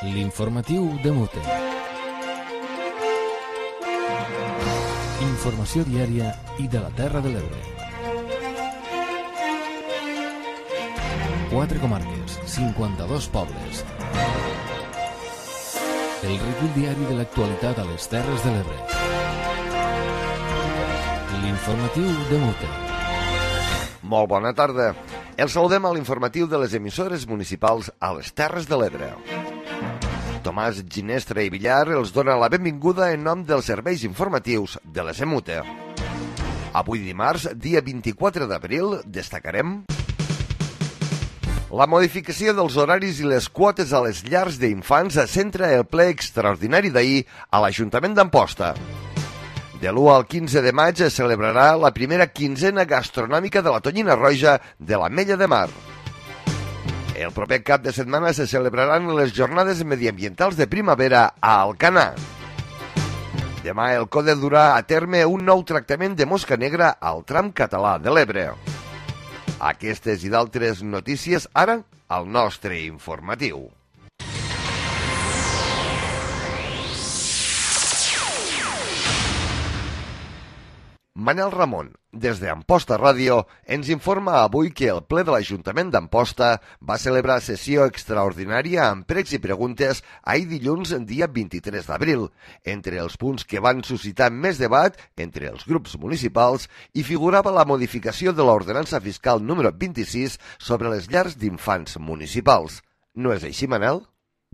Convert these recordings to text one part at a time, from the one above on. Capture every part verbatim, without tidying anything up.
L'informatiu de Mute. Informació diària i de la Terra de l'Ebre. Quatre comarques, cinquanta-dos pobles. El recull diari de l'actualitat a les Terres de l'Ebre. L'informatiu de Mute. Molt bona tarda. El saludem a l'informatiu de les emissores municipals a les Terres de l'Ebre. Tomàs Ginestra i Villar els dona la benvinguda en nom dels serveis informatius de les EMUTE. Avui dimarts, dia vint-i-quatre d'abril, destacarem la modificació dels horaris i les quotes a les llars d'infants centra el ple extraordinari d'ahir a l'Ajuntament d'Amposta. De l'u al quinze de maig es celebrarà la primera quinzena gastronòmica de la Tonyina Roja de l'Ametlla de Mar. El proper cap de setmana se celebraran les jornades mediambientals de primavera a Alcanar. Demà el CODE durà a terme un nou tractament de mosca negra al tram català de l'Ebre. Aquestes i d'altres notícies ara al nostre informatiu. Manel Ramon, des d'Amposta Ràdio, ens informa avui que el ple de l'Ajuntament d'Amposta va celebrar sessió extraordinària amb pregs i preguntes ahir dilluns, dia vint-i-tres d'abril. Entre els punts que van suscitar més debat entre els grups municipals hi figurava la modificació de l'ordenança fiscal número vint-i-sis sobre les llars d'infants municipals. No és així, Manel?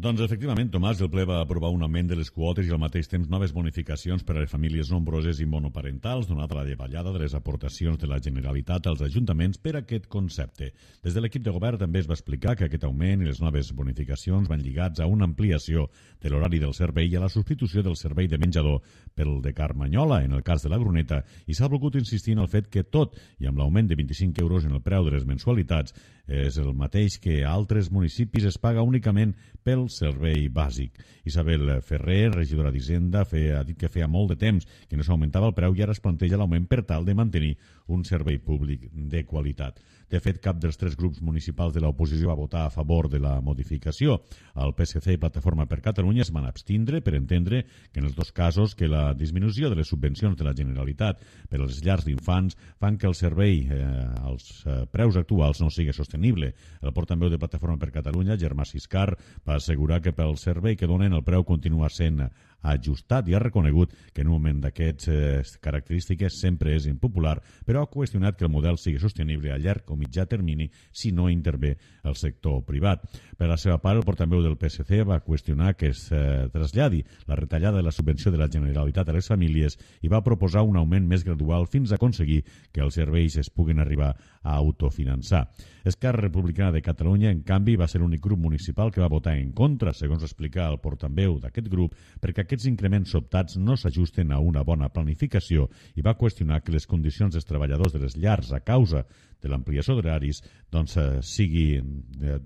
Doncs efectivament, Tomàs, el ple va aprovar un augment de les quotes i al mateix temps noves bonificacions per a les famílies nombroses i monoparentals, donada la davallada de les aportacions de la Generalitat als ajuntaments per a aquest concepte. Des de l'equip de govern també es va explicar que aquest augment i les noves bonificacions van lligats a una ampliació de l'horari del servei i a la substitució del servei de menjador pel de Carmanyola, en el cas de la Gruneta, i s'ha volgut insistir en el fet que tot, i amb l'augment de vint-i-cinc euros en el preu de les mensualitats, és el mateix que a altres municipis es paga únicament pel servei bàsic. Isabel Ferrer, regidora d'Hisenda, ha dit que feia molt de temps que no s'augmentava el preu i ara es planteja l'augment per tal de mantenir un servei públic de qualitat. De fet, cap dels tres grups municipals de l'oposició va votar a favor de la modificació. El P S C i Plataforma per Catalunya es van abstindre per entendre que en els dos casos que la disminució de les subvencions de la Generalitat per a les llars d'infants fan que el servei eh, als eh, preus actuals no sigui sostenible. El portaveu de Plataforma per Catalunya, Germà Siscar, va assegurar que pel servei que donen el preu continua sent ajustat i ha reconegut que en un moment d'aquestes eh, característiques sempre és impopular, però ha qüestionat que el model sigui sostenible a llarg o mitjà termini si no intervé el sector privat. Per la seva part, el portaveu del P S C va qüestionar que es eh, traslladi la retallada de la subvenció de la Generalitat a les famílies i va proposar un augment més gradual fins a aconseguir que els serveis es puguin arribar a autofinançar. Esquerra Republicana de Catalunya, en canvi, va ser l'únic grup municipal que va votar en contra, segons explica el portaveu d'aquest grup, perquè aquests increments sobtats no s'ajusten a una bona planificació i va qüestionar que les condicions dels treballadors de les llars a causa de l'ampliació d'horaris doncs, eh, sigui eh,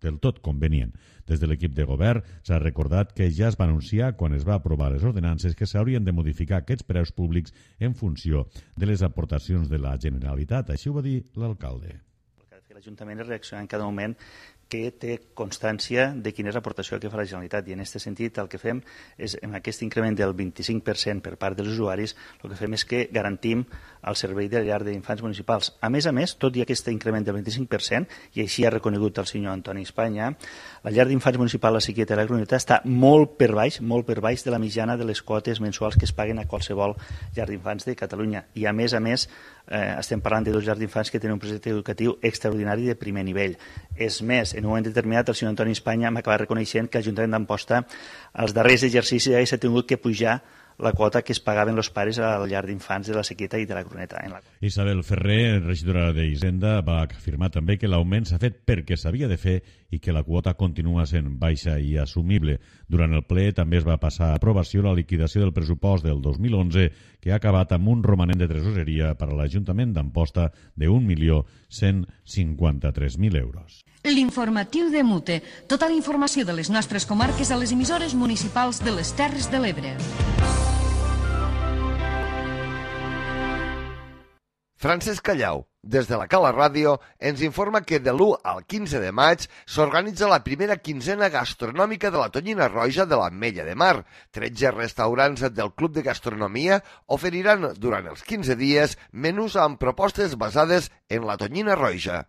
del tot convenient. Des de l'equip de govern s'ha recordat que ja es va anunciar quan es va aprovar les ordenances que s'haurien de modificar aquests preus públics en funció de les aportacions de la Generalitat. Així ho va dir l'alcalde. L'Ajuntament és reaccionar en cada moment que té constància de quina és l'aportació que fa la Generalitat i en aquest sentit el que fem és amb aquest increment del vint-i-cinc per cent per part dels usuaris el que fem és que garantim el servei de llar d'infants municipals. A més a més, tot i aquest increment del vint-i-cinc per cent i així ha reconegut el senyor Antoni Espanya, la llar d'infants municipal La Sequieta i la Gruneta està molt per baix, molt per baix de la mitjana de les quotes mensuals que es paguen a qualsevol llar d'infants de Catalunya i a més a més eh, estem parlant de dos llars d'infants que tenen un projecte educatiu extraordinari de primer nivell. És més, en un moment determinat el senyor Antoni Espanya m'acaba reconeixent que l'Ajuntament d'Amposta els darrers exercicis ja s'ha tingut que pujar la quota que es pagaven els pares a la llar d'infants de La Sequieta i de la Gruneta. En la... Isabel Ferrer, regidora d'Hisenda, va afirmar també que l'augment s'ha fet perquè s'havia de fer i que la quota continua sent baixa i assumible. Durant el ple també es va passar a aprovació la liquidació del pressupost del dos mil onze que ha acabat amb un romanent de tresoreria per a l'Ajuntament d'Amposta d'un milió cent cinquanta-tres mil euros. L'informatiu de Mute. Tota la informació de les nostres comarques a les emissores municipals de les Terres de l'Ebre. Francesc Callau, Des de la Cala Ràdio ens informa que de l'u al quinze de maig s'organitza la primera quinzena gastronòmica de la Tonyina Roja de l'Ametlla de Mar. tretze restaurants del Club de Gastronomia oferiran durant els quinze dies menús amb propostes basades en la Tonyina Roja.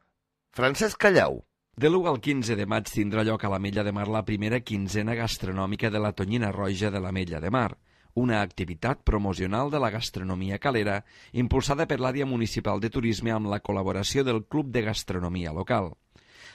Francesc Callau. De l'u al quinze de maig tindrà lloc a l'Ametlla de Mar la primera quinzena gastronòmica de la Tonyina Roja de l'Ametlla de Mar, una activitat promocional de la gastronomia calera impulsada per l'àrea municipal de turisme amb la col·laboració del Club de Gastronomia local.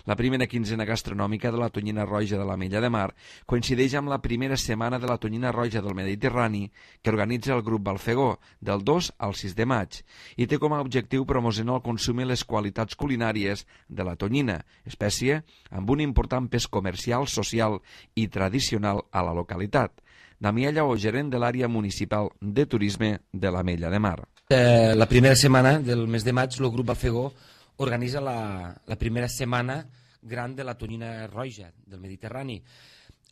La primera quinzena gastronòmica de la Tonyina Roja de l'Ametlla de Mar coincideix amb la primera setmana de la Tonyina Roja del Mediterrani que organitza el grup Balfegó del dos al sis de maig i té com a objectiu promocionar el consum i les qualitats culinàries de la tonyina, espècie amb un important pes comercial, social i tradicional a la localitat. Damià Lleó, gerent de l'àrea municipal de turisme de l'Ametlla de Mar. Eh, la primera setmana del mes de maig el grup Balfegó organitza la, la primera setmana gran de la Tonyina Roja del Mediterrani.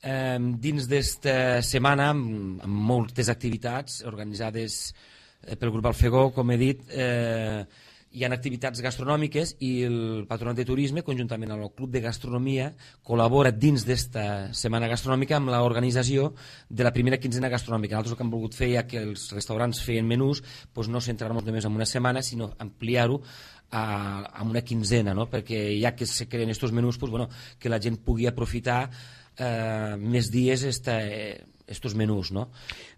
Eh, dins d'esta setmana, amb, amb moltes activitats organitzades eh, pel grup Balfegó, com he dit, eh, hi ha activitats gastronòmiques i el Patronat de Turisme, conjuntament amb el Club de Gastronomia, col·labora dins d'esta setmana gastronòmica amb l'organització de la primera quinzena gastronòmica. Nosaltres el que hem volgut fer, ja que els restaurants feien menús, doncs no centrar-nos només en una setmana, sinó ampliar-ho a, a una quinzena, no? Perquè ja que se creen aquests menús, doncs, bueno, que la gent pugui aprofitar eh, més dies esta, eh, estos menús, no?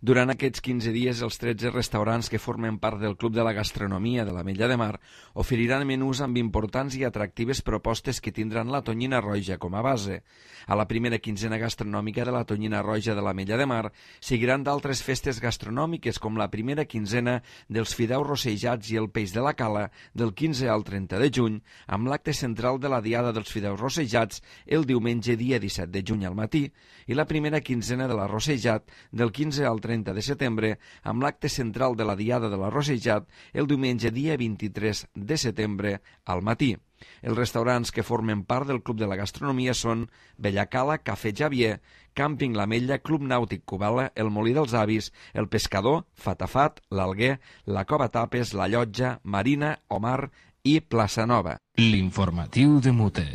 Durant aquests quinze dies, els tretze restaurants que formen part del Club de la Gastronomia de l'Ametlla de Mar oferiran menús amb importants i atractives propostes que tindran la Tonyina Roja com a base. A la primera quinzena gastronòmica de la Tonyina Roja de l'Ametlla de Mar seguiran d'altres festes gastronòmiques com la primera quinzena dels fideus rossejats i el peix de la cala del quinze al trenta de juny, amb l'acte central de la Diada dels Fideus Rossejats el diumenge dia disset de juny al matí, i la primera quinzena de la Rossejat del quinze al trenta de setembre, amb l'acte central de la Diada de la Rossejat el diumenge dia vint-i-tres de setembre al matí. Els restaurants que formen part del Club de la Gastronomia són Bellacala, Cafè Javier, Càmping l'Ametlla, Club Nàutic Cubala, El Molí dels Avis, El Pescador, Fatafat, l'Alguer, la Cova Tapes, la Llotja, Marina, Omar i Plaça Nova. L'informatiu de Mute.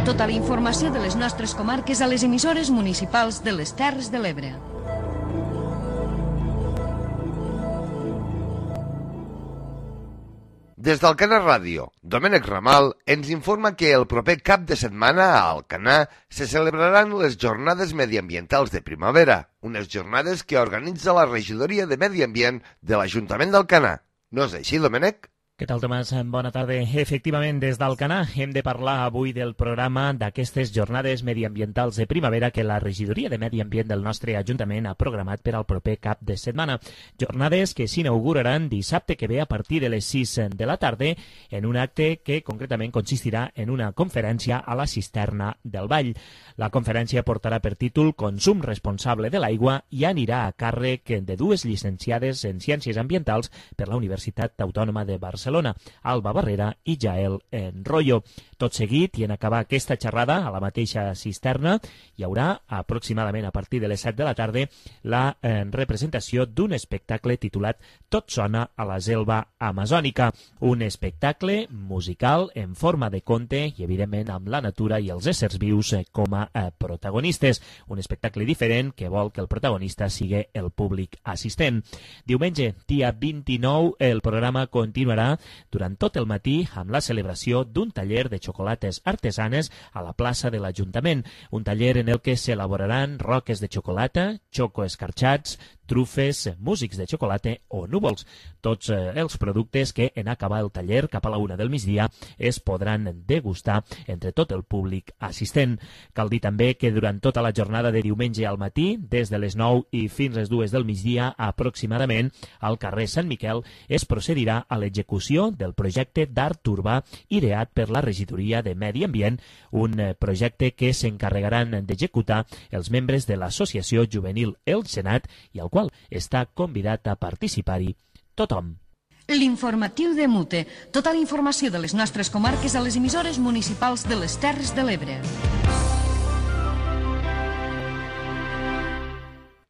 Tota la informació de les nostres comarques a les emissores municipals de les Terres de l'Ebre. Des d'Alcanar Ràdio, Domènec Ramal ens informa que el proper cap de setmana a Alcanar se celebraran les Jornades Mediambientals de Primavera, unes jornades que organitza la Regidoria de Medi Ambient de l'Ajuntament d'Alcanar. No és així, Domènec? Què tal, Tomàs? Bona tarda. Efectivament, des d'Alcanar hem de parlar avui del programa d'aquestes jornades mediambientals de primavera que la Regidoria de Medi Ambient del nostre Ajuntament ha programat per al proper cap de setmana. Jornades que s'inauguraran dissabte que ve a partir de les sis de la tarda en un acte que concretament consistirà en una conferència a la cisterna del Vall. La conferència portarà per títol Consum responsable de l'aigua i anirà a càrrec de dues llicenciades en Ciències Ambientals per la Universitat Autònoma de Barcelona, Alba Barrera i Jael Enroyo. Tot seguit, i en acabar aquesta xerrada a la mateixa cisterna, hi haurà aproximadament a partir de les set de la tarda la eh, representació d'un espectacle titulat Tot sona a la selva amazònica, un espectacle musical en forma de conte i evidentment amb la natura i els éssers vius eh, com a eh, protagonistes. Un espectacle diferent que vol que el protagonista sigui el públic assistent. Diumenge, dia vint-i-nou, el programa continuarà durant tot el matí amb la celebració d'un taller de xocolates artesanes a la plaça de l'Ajuntament, un taller en el que s'elaboraran roques de xocolata, xoco escarxats, trufes, músics de xocolata o núvols. Tots eh, els productes que en acabar el taller cap a la una del migdia es podran degustar entre tot el públic assistent. Cal dir també que durant tota la jornada de diumenge al matí, des de les nou i fins les dues del migdia aproximadament, al carrer Sant Miquel es procedirà a l'execució del projecte d'art urbà ideat per la Regidoria de Medi Ambient, un eh, projecte que s'encarregaran d'executar els membres de l'Associació Juvenil El Senat i al qual està convidat a participar-hi tothom. L'informatiu de Mute. Tota la informació de les nostres comarques a les emissores municipals de les Terres de l'Ebre.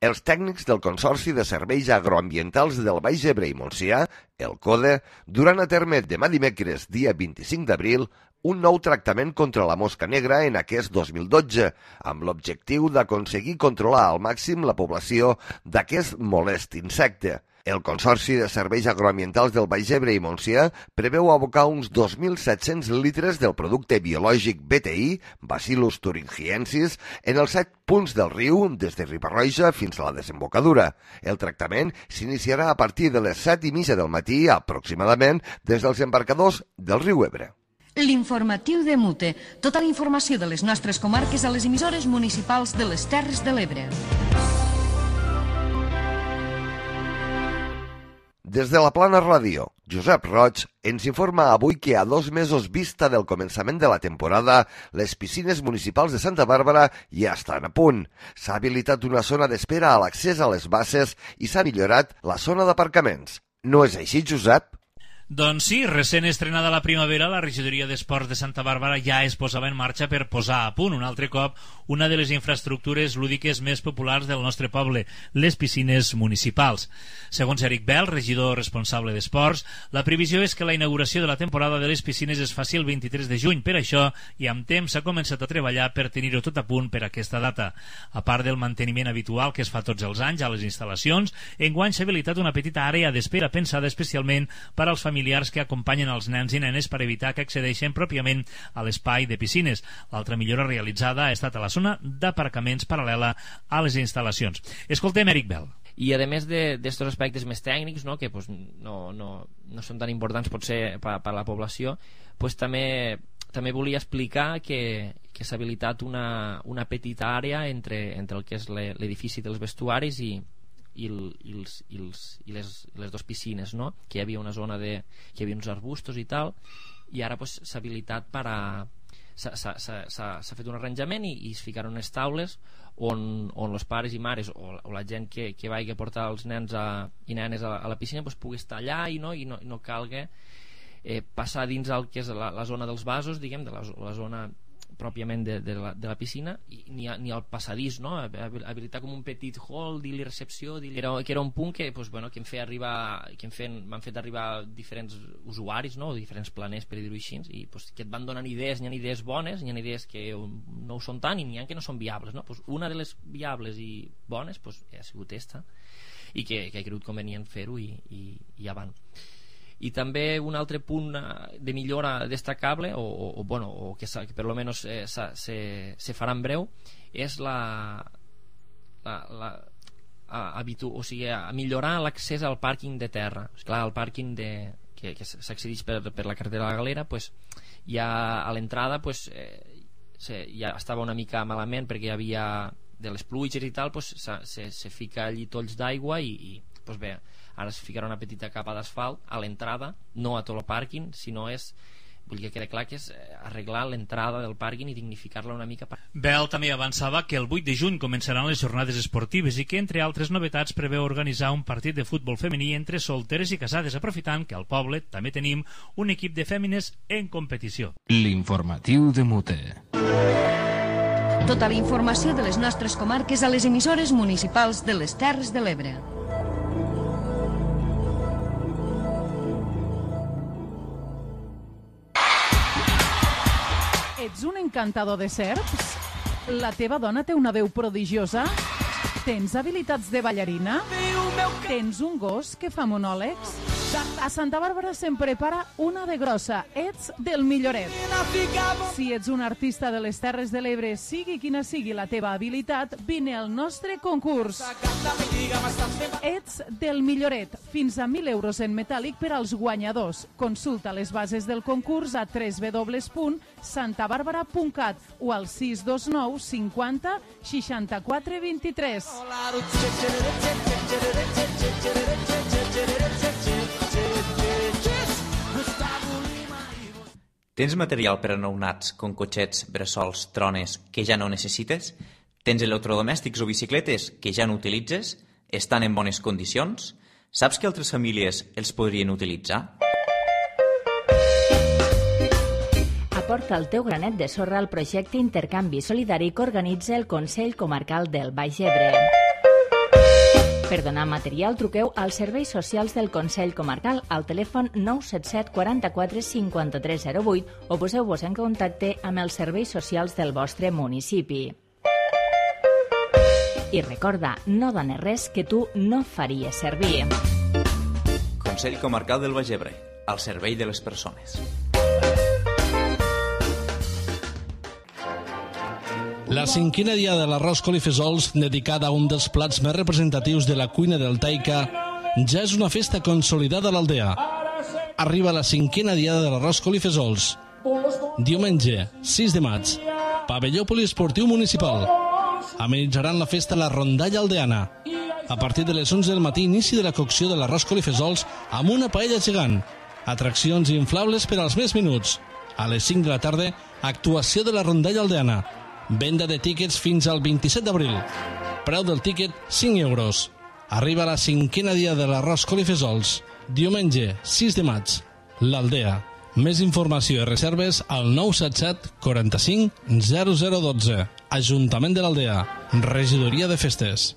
Els tècnics del Consorci de Serveis Agroambientals del Baix Ebre i Montsià, el CODE, duran a terme demà dimecres, dia vint-i-cinc d'abril, un nou tractament contra la mosca negra en aquest dos mil dotze, amb l'objectiu d'aconseguir controlar al màxim la població d'aquest molest insecte. El Consorci de Serveis Agroambientals del Baix Ebre i Montsià preveu abocar uns dos mil set-cents litres del producte biològic B T I, Bacillus thuringiensis, en els set punts del riu, des de Riba-roja fins a la desembocadura. El tractament s'iniciarà a partir de les set i mitja del matí, aproximadament, des dels embarcadors del riu Ebre. L'informatiu de Mute. Tota la informació de les nostres comarques a les emissores municipals de les Terres de l'Ebre. Des de la Plana Ràdio, Josep Roig ens informa avui que a dos mesos vista del començament de la temporada, les piscines municipals de Santa Bàrbara ja estan a punt. S'ha habilitat una zona d'espera a l'accés a les basses i s'ha millorat la zona d'aparcaments. No és així, Josep? Doncs sí, recent estrenada la primavera, la regidoria d'Esports de Santa Bàrbara ja es posava en marxa per posar a punt un altre cop una de les infraestructures lúdiques més populars del nostre poble, les piscines municipals. Segons Eric Bell, regidor responsable d'Esports, la previsió és que la inauguració de la temporada de les piscines es faci el vint-i-tres de juny. Per això, i amb temps, s'ha començat a treballar per tenir-ho tot a punt per aquesta data. A part del manteniment habitual que es fa tots els anys a les instal·lacions, enguany s'ha habilitat una petita àrea d'espera pensada especialment per als familiars familiars que acompanyen els nens i nenes per evitar que accedeixen pròpiament a l'espai de piscines. L'altra millora realitzada ha estat a la zona d'aparcaments paral·lela a les instal·lacions. Escoltem Eric Bell. I a més d'aquests aspectes més tècnics, no, que pues, no, no, no són tan importants potser per, per a la població, pues, també, també volia explicar que, que s'ha habilitat una, una petita àrea entre, entre el que és l'edifici dels vestuaris i I, el, i, els, i, els, i les, les dues piscines, no? Que hi havia una zona de, que hi havia uns arbustos i tal, i ara pues, s'ha habilitat per a s'ha fet un arranjament i, i es ficaron unes taules on, on els pares i mares o, o la gent que, que vagi a portar els nens a, i nenes a, a la piscina pues, pugui estar allà i no, i no, i no calga eh, passar dins el que és la, la zona dels vasos, diguem, de la, la zona pròpiament de, de, la, de la piscina i ni, a, ni al passadís, no? Habilitar com un petit hall, dir-li recepció, dir era, que era un punt que, pues, bueno, que em feia arribar, que em feien, m'han fet arribar diferents usuaris, no? Diferents planers, per dir-ho així, i pues, que et van donant idees, n'hi ha idees bones, n'hi ha idees que no ho són tant i n'hi ha que no són viables, no? Pues una de les viables i bones pues, ha sigut esta i que, que he cregut convenient fer-ho i, i, i avant. I també un altre punt de millora destacable o, o, o, bueno, o que, que per lo menos eh, se, se, se farà en breu és la, la, la a, habitu, o sigui, a millorar l'accés al pàrquing de terra. Esclar, el pàrquing de, que, que s'accedeix per, per la carretera de la Galera pues, ja a l'entrada pues, eh, se, ja estava una mica malament perquè hi havia de les pluges i tal pues, se, se, se fica allí tolls d'aigua i, i pues bé, ara es ficarà una petita capa d'asfalt a l'entrada, no a tot el pàrquing, sinó és, vull que quede clar que és arreglar l'entrada del pàrquing i dignificar-la una mica. Bell també avançava que el vuit de juny començaran les jornades esportives i que, entre altres novetats, preveu organitzar un partit de futbol femení entre solteres i casades, aprofitant que al poble també tenim un equip de fèmines en competició. L'informatiu de Mute. Tota la informació de les nostres comarques a les emissores municipals de les Terres de l'Ebre. Ets un encantador de serps? La teva dona té una veu prodigiosa? Tens habilitats de ballarina? Tens un gos que fa monòlegs? A Santa Bàrbara se'n prepara una de grossa. Ets del Milloret. Si ets un artista de les Terres de l'Ebre, sigui quina sigui la teva habilitat, vine al nostre concurs. Ets del Milloret. Fins a mil euros en metàl·lic per als guanyadors. Consulta les bases del concurs a w w w punt santa bàrbara punt cat o al sis dos nou cinquanta seixanta-quatre vint-i-tres. Tens material per a nounats com cotxets, bressols, trones que ja no necessites? Tens electrodomèstics o bicicletes que ja no utilitzes? Estan en bones condicions? Saps que altres famílies els podrien utilitzar? Aporta el teu granet de sorra al projecte Intercanvi Solidari que organitza el Consell Comarcal del Baix Ebre. Per donar material, truqueu als serveis socials del Consell Comarcal al telèfon nou set set quaranta-quatre cinquanta-tres zero vuit o poseu-vos en contacte amb els serveis socials del vostre municipi. I recorda, no dones res que tu no faries servir. Consell Comarcal del Baix Ebre, al servei de les persones. La cinquena dia de l'arròs col i fesols, dedicada a un dels plats més representatius de la cuina del Taica, ja és una festa consolidada a l'aldea. Arriba la cinquena diada de l'arròs col i fesols. Diumenge, sis de maig, pavelló poliesportiu municipal. Amenitzaran la festa la rondalla aldeana. A partir de les onze del matí, inici de la cocció de l'arròs col i fesols amb una paella gegant. Atraccions inflables per als més minuts. A les cinc de la tarda, actuació de la rondalla aldeana. Venda de tíquets fins al vint-i-set d'abril. Preu del tíquet, cinc euros. Arriba la cinquena dia de l'arròs col i fesols. Diumenge, sis de maig. L'Aldea. Més informació i reserves al nou set set quaranta-cinc zero zero dotze. Ajuntament de l'Aldea. Regidoria de Festes.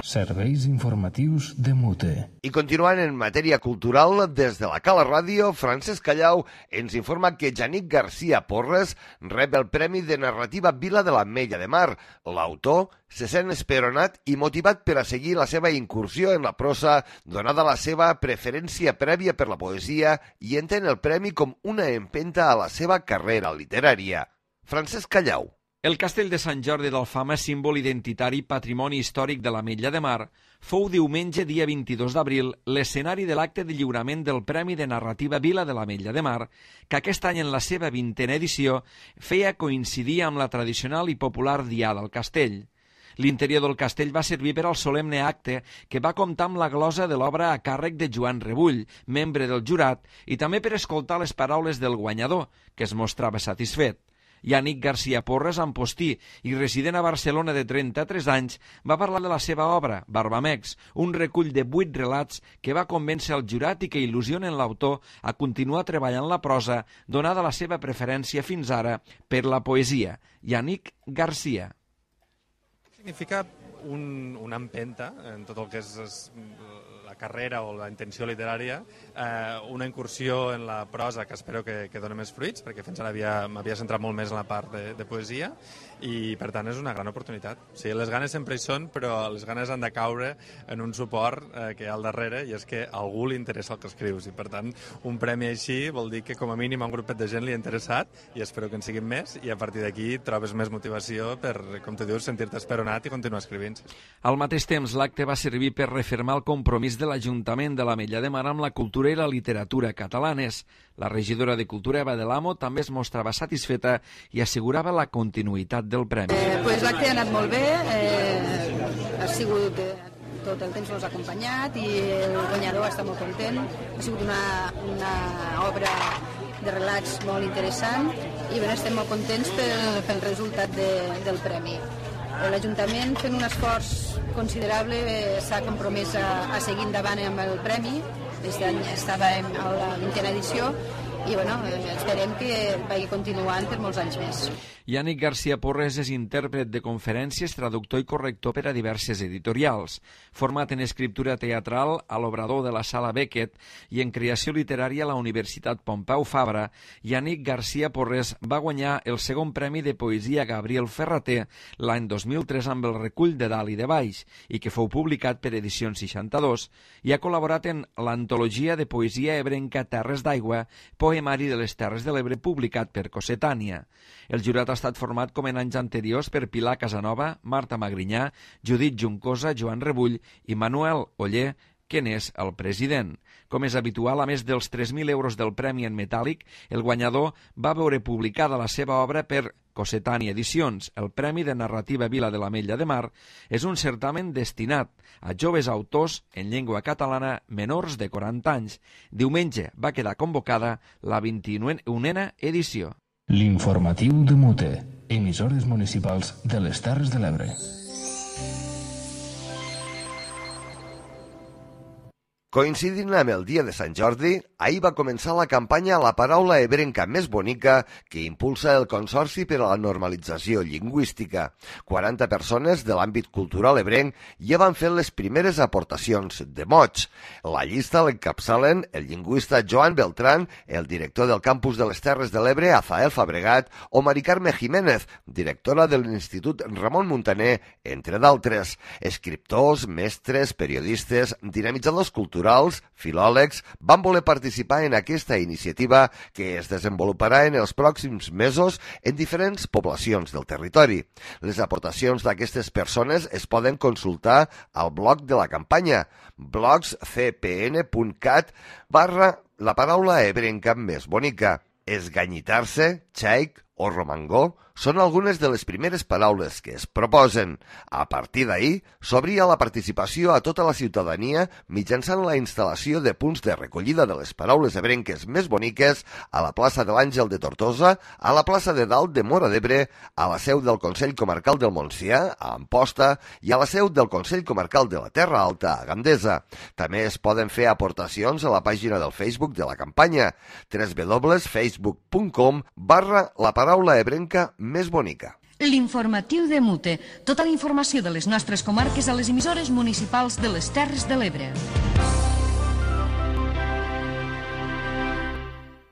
Serveis informatius de Mute. I continuant en matèria cultural, des de la Cala Ràdio, Francesc Callau ens informa que Yannick García Porres rep el Premi de Narrativa Vila de l'Ametlla de Mar. L'autor se sent esperonat i motivat per a seguir la seva incursió en la prosa, donada la seva preferència prèvia per la poesia, i entén el premi com una empenta a la seva carrera literària. Francesc Callau. El castell de Sant Jordi d'Alfama, símbol identitari patrimoni històric de l'Ametlla de Mar, fou diumenge, dia vint-i-dos d'abril, l'escenari de l'acte de lliurament del Premi de Narrativa Vila de l'Ametlla de Mar, que aquest any en la seva vintena edició feia coincidir amb la tradicional i popular Diada al Castell. L'interior del castell va servir per al solemne acte que va comptar amb la glosa de l'obra a càrrec de Joan Rebull, membre del jurat, i també per escoltar les paraules del guanyador, que es mostrava satisfet. Yannick García Porres, ampostí i resident a Barcelona de trenta-tres anys, va parlar de la seva obra, Barbamex, un recull de vuit relats que va convèncer el jurat i que il·lusionen l'autor a continuar treballant la prosa, donada la seva preferència fins ara per la poesia. Yannick García. Significa un, una empenta en tot el que és, és la carrera o la intenció literària, eh, una incursió en la prosa que espero que, que doni més fruits, perquè fins ara m'havia centrat molt més en la part de, de poesia, i per tant és una gran oportunitat. O sigui, les ganes sempre hi són, però les ganes han de caure en un suport eh, que hi ha al darrere, i és que a algú li interessa el que escrius, i per tant un premi així vol dir que com a mínim a un grupet de gent li ha interessat, i espero que en siguin més, i a partir d'aquí trobes més motivació per, com tu dius, sentir-te esperonat i continuar escrivint. Al mateix temps, l'acte va servir per refermar el compromís de l'Ajuntament de l'Ametlla de Mar amb la cultura i la literatura catalanes. La regidora de Cultura, Eva de l'Amo, també es mostrava satisfeta i assegurava la continuïtat del premi. Eh, pues l'acte ha anat molt bé, eh, ha sigut eh, tot el temps nos ha acompanyat i el guanyador està molt content. Ha sigut una, una obra de relats molt interessant i bé, estem molt contents pel, pel resultat de, del premi. L'Ajuntament, fent un esforç considerable, s'ha compromès a, a seguir endavant amb el premi. Aquest any estàvem a la vintena edició i bueno, esperem que vagi continuant per molts anys més. Yannick García Porres és intèrpret de conferències, traductor i corrector per a diverses editorials. Format en escriptura teatral a l'Obrador de la Sala Beckett i en creació literària a la Universitat Pompeu Fabra, Yannick García Porres va guanyar el segon premi de poesia Gabriel Ferrater l'any dos mil tres amb el recull de Dalt i de Baix, i que fou publicat per Edicions seixanta-dos, i ha col·laborat en l'antologia de poesia ebrenca Terres d'Aigua, poemari de les Terres de l'Ebre, publicat per Cossetània. El jurat ha estat format com en anys anteriors per Pilar Casanova, Marta Magrinyà, Judit Juncosa, Joan Rebull i Manuel Oller, que n'és el president. Com és habitual, a més dels tres mil euros del premi en metàl·lic, el guanyador va veure publicada la seva obra per Cossetània Edicions. El Premi de Narrativa Vila de l'Ametlla de Mar és un certamen destinat a joves autors en llengua catalana menors de quaranta anys. Diumenge va quedar convocada la vint-i-unena edició. L'informatiu de Mute, emissores municipals de les Terres de l'Ebre. Coincidint amb el dia de Sant Jordi, ahir va començar la campanya La paraula ebrenca més bonica que impulsa el Consorci per a la Normalització Lingüística. quaranta persones de l'àmbit cultural ebrenc ja van fer les primeres aportacions de mots. La llista l'encapçalen el lingüista Joan Beltrán, el director del campus de les Terres de l'Ebre, Azael Fabregat, o Mari Carme Jiménez, directora de l'Institut Ramon Muntaner, entre d'altres. Escriptors, mestres, periodistes, dinamitzadors culturals, filòlegs, van voler participar en aquesta iniciativa que es desenvoluparà en els pròxims mesos en diferents poblacions del territori. Les aportacions d'aquestes persones es poden consultar al blog de la campanya blogscpn.cat barra la paraula ebrenca més bonica. Esganyitar-se, xaic o romangó són algunes de les primeres paraules que es proposen. A partir d'ahir, s'obria la participació a tota la ciutadania mitjançant la instal·lació de punts de recollida de les paraules ebrenques més boniques a la plaça de l'Àngel de Tortosa, a la plaça de Dalt de Móra d'Ebre, a la seu del Consell Comarcal del Montsià, a Amposta, i a la seu del Consell Comarcal de la Terra Alta, a Gandesa. També es poden fer aportacions a la pàgina del Facebook de la campanya, w w w punt facebook punt com barra la paraula ebrenca més bonica. L'informatiu de Mute. Tota la informació de les nostres comarques a les emissores municipals de les Terres de l'Ebre.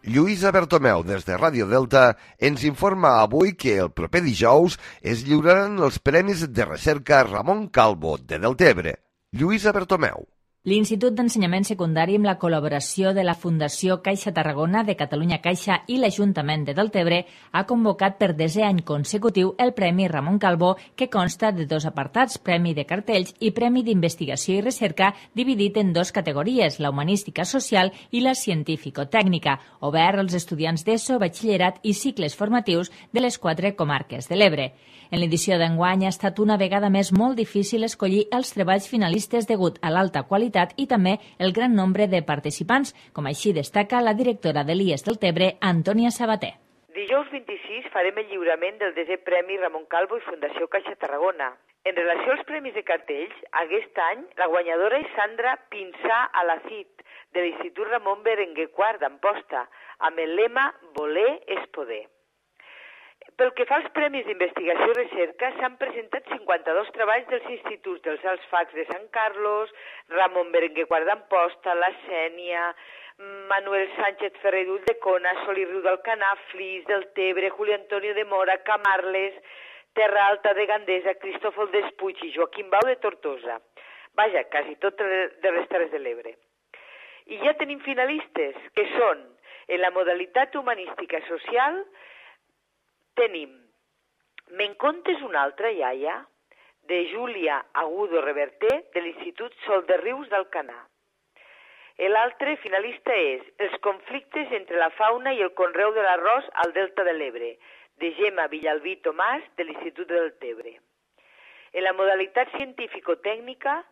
Lluïsa Bertomeu, des de Ràdio Delta, ens informa avui que el proper dijous es lliuraran els Premis de Recerca Ramon Calvo, de Deltebre. Lluïsa Bertomeu. L'Institut d'Ensenyament Secundari, amb la col·laboració de la Fundació Caixa Tarragona, de Catalunya Caixa i l'Ajuntament de Deltebre, ha convocat per desè any consecutiu el Premi Ramon Calvo, que consta de dos apartats, Premi de Cartells i Premi d'Investigació i Recerca, dividit en dues categories, la humanística social i la científico-tècnica, obert als estudiants d'ESO, batxillerat i cicles formatius de les quatre comarques de l'Ebre. En l'edició d'enguany ha estat una vegada més molt difícil escollir els treballs finalistes degut a l'alta qualitat i també el gran nombre de participants, com així destaca la directora de l'I E S Deltebre, Antònia Sabater. Dijous vint-i-sis farem el lliurament del desè Premi Ramon Calvo i Fundació Caixa Tarragona. En relació als Premis de Cartells, aquest any la guanyadora és Sandra Pinsà Alacid, de l'Institut Ramon Berenguer quart d'Amposta, amb el lema Voler és poder. Pel que fa als Premis d'Investigació i Recerca, s'han presentat cinquanta-dos treballs dels instituts dels Alts Facs de Sant Carlos, Ramon Berenguer quart d'Amposta, La Sénia, Manuel Sánchez Ferrerull de Cona, Sol i Riu d'Alcanar, Flix, Deltebre, Juli Antonio de Mora, Camarles, Terra Alta de Gandesa, Cristòfol Despuig i Joaquim Bau de Tortosa. Vaja, quasi tot de les Terres de l'Ebre. I ja tenim finalistes, que són, en la modalitat humanística social, tenim Me'n contes una altra, iaia, de Júlia Agudo Reverter, de l'Institut Sol de Rius d'Alcanar. L'altre finalista és Els conflictes entre la fauna i el conreu de l'arròs al Delta de l'Ebre, de Gemma Villalbí Tomàs, de l'Institut de Deltebre. En la modalitat científico-tècnica,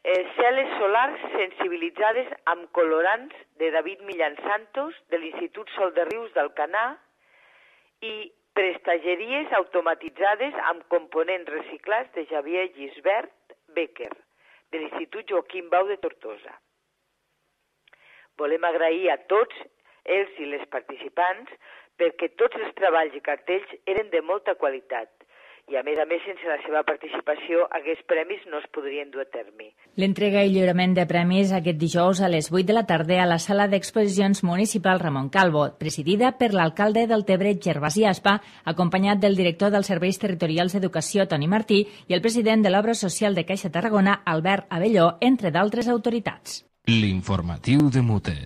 eh, cel·les solars sensibilitzades amb colorants, de David Millán Santos, de l'Institut Sol de Rius d'Alcanar, i Prestageries automatitzades amb components reciclats, de Javier Gisbert Becker, de l'Institut Joaquim Bau de Tortosa. Volem agrair a tots ells i les participants perquè tots els treballs i cartells eren de molta qualitat i, a més a més, sense la seva participació, aquests premis no es podrien dur a terme. L'entrega i lliurament de premis aquest dijous a les vuit de la tarda a la sala d'exposicions municipal Ramon Calvo, presidida per l'alcalde del Deltebre, Gervasi Aspa, acompanyat del director dels Serveis Territorials d'Educació, Toni Martí, i el president de l'Obra Social de Caixa Tarragona, Albert Abelló, entre d'altres autoritats. L'informatiu de Mute.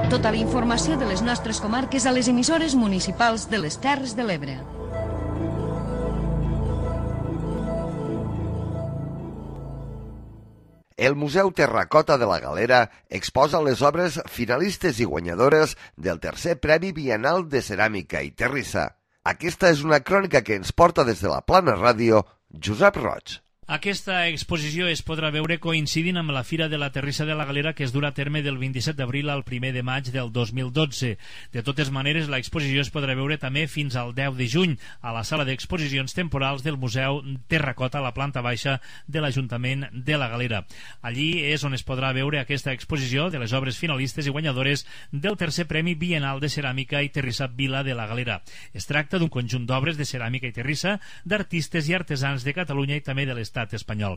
Tota la informació de les nostres comarques a les emissores municipals de les Terres de l'Ebre. El Museu Terracota de la Galera exposa les obres finalistes i guanyadores del tercer Premi Bienal de Ceràmica i Terrissa. Aquesta és una crònica que ens porta des de la Plana Ràdio Josep Roig. Aquesta exposició es podrà veure coincidint amb la Fira de la Terrissa de la Galera, que es durà a terme del vint-i-set d'abril al primer de maig del dos mil dotze. De totes maneres, l'exposició es podrà veure també fins al deu de juny a la sala d'exposicions temporals del Museu Terracota a la planta baixa de l'Ajuntament de la Galera. Allí és on es podrà veure aquesta exposició de les obres finalistes i guanyadores del tercer Premi Bienal de Ceràmica i Terrissa Vila de la Galera. Es tracta d'un conjunt d'obres de ceràmica i terrissa d'artistes i artesans de Catalunya i també de l'estat espanyol.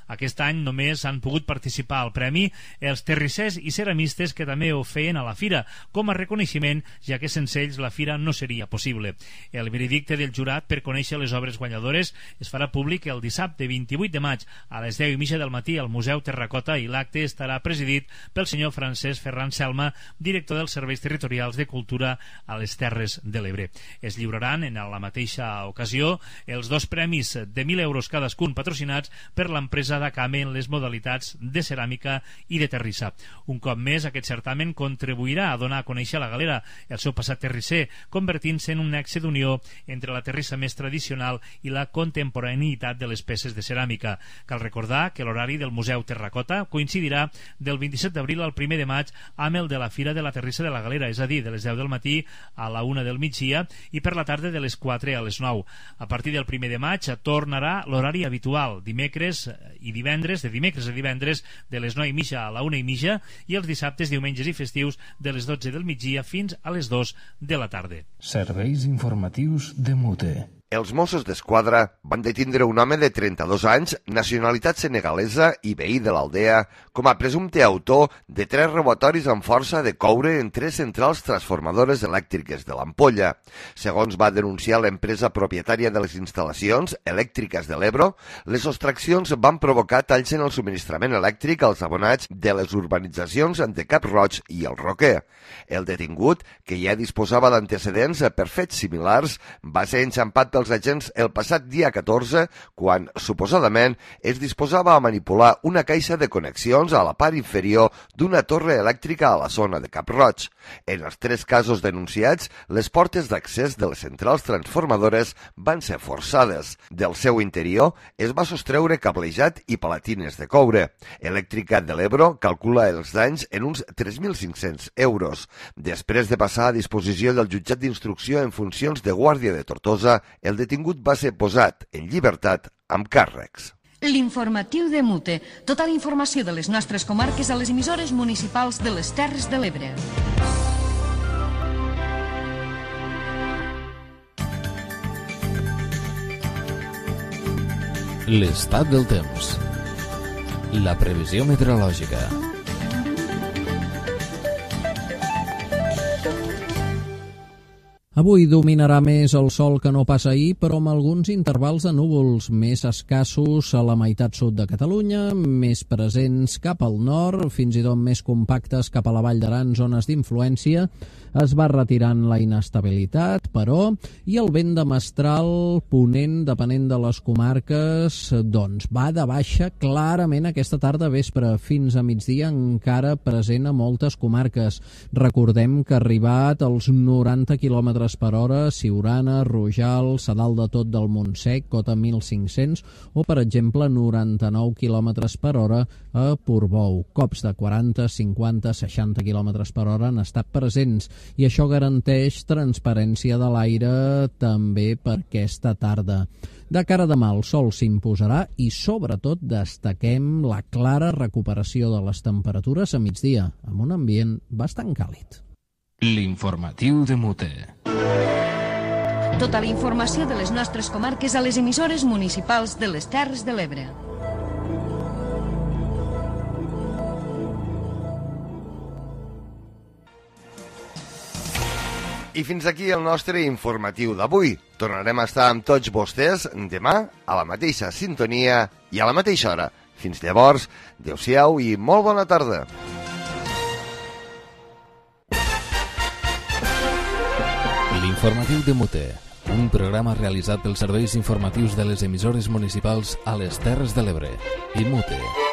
Aquest any només han pogut participar al premi els terrissers i ceramistes que també ho feien a la fira, com a reconeixement, ja que sense ells la fira no seria possible. El veredicte del jurat per conèixer les obres guanyadores es farà públic el dissabte vint-i-vuit de maig a les deu i mitja del matí al Museu Terracota, i l'acte estarà presidit pel senyor Francesc Ferran Selma, director dels Serveis Territorials de Cultura a les Terres de l'Ebre. Es lliuraran en la mateixa ocasió els dos premis de mil euros cadascun, patrocinats per l'empresa d'Acame en les modalitats de ceràmica i de terrissa. Un cop més, aquest certamen contribuirà a donar a conèixer a la Galera el seu passat terrisser, convertint-se en un nexe d'unió entre la terrissa més tradicional i la contemporaneïtat de les peces de ceràmica. Cal recordar que l'horari del Museu Terracota coincidirà del vint-i-set d'abril al primer de maig amb el de la Fira de la Terrissa de la Galera, és a dir, de les deu del matí a la una del migdia i per la tarda de les quatre a les nou. A partir del primer de maig tornarà l'horari habitual, dimecres i divendres, de dimecres a divendres de les nou i mitja a la una i mitja, i els dissabtes, diumenges i festius de les dotze del migdia fins a les dos de la tarda. Serveis informatius de Mute. Els Mossos d'Esquadra van detindre un home de trenta-dos anys, nacionalitat senegalesa i veí de l'Aldea, com a presumpte autor de tres robatoris amb força de coure en tres centrals transformadores elèctriques de l'Ampolla. Segons va denunciar l'empresa propietària de les instal·lacions elèctriques de l'Ebro, les sostraccions van provocar talls en el subministrament elèctric als abonats de les urbanitzacions de Cap Roig i el Roquer. El detingut, que ja disposava d'antecedents per fets similars, va ser enxampat pels agents el passat dia catorze, quan, suposadament, es disposava a manipular una caixa de connexions a la part inferior d'una torre elèctrica a la zona de Cap Roig. En els tres casos denunciats, les portes d'accés de les centrals transformadores van ser forçades. Del seu interior es va sostreure cablejat i palatines de coure. Elèctrica de l'Ebro calcula els danys en uns tres mil cinc-cents euros. Després de passar a disposició del jutjat d'instrucció en funcions de guàrdia de Tortosa, el detingut va ser posat en llibertat amb càrrecs. L'informatiu de Mute. Tota la informació de les nostres comarques a les emissores municipals de les Terres de l'Ebre. L'estat del temps. La previsió meteorològica. Avui dominarà més el sol que no pas ahir, però amb alguns intervals de núvols més escassos a la meitat sud de Catalunya, més presents cap al nord, fins i tot més compactes cap a la Vall d'Aran, zones d'influència. Es va retirant la inestabilitat, però, i el vent de mestral ponent, depenent de les comarques, doncs va de baixa clarament aquesta tarda vespre fins a migdia, encara present a moltes comarques. Recordem que ha arribat als noranta quilòmetres per hora, Siurana, Rojal, a dalt de tot del Montsec, cota mil cinc-cents, o per exemple noranta-nou quilòmetres per hora a Portbou. Cops de quaranta, cinquanta, seixanta quilòmetres per hora han estat presents, i això garanteix transparència de l'aire també per aquesta tarda. De cara a demà el sol s'imposarà i sobretot destaquem la clara recuperació de les temperatures a migdia, amb un ambient bastant càlid. L'informatiu de Mute. Tota la informació de les nostres comarques a les emissores municipals de les Terres de l'Ebre. I fins aquí el nostre informatiu d'avui. Tornarem a estar amb tots vostès demà a la mateixa sintonia i a la mateixa hora. Fins llavors, adeu-siau i molt bona tarda. L'informatiu de Mute, un programa realitzat pels serveis informatius de les emissores municipals a les Terres de l'Ebre i Mute.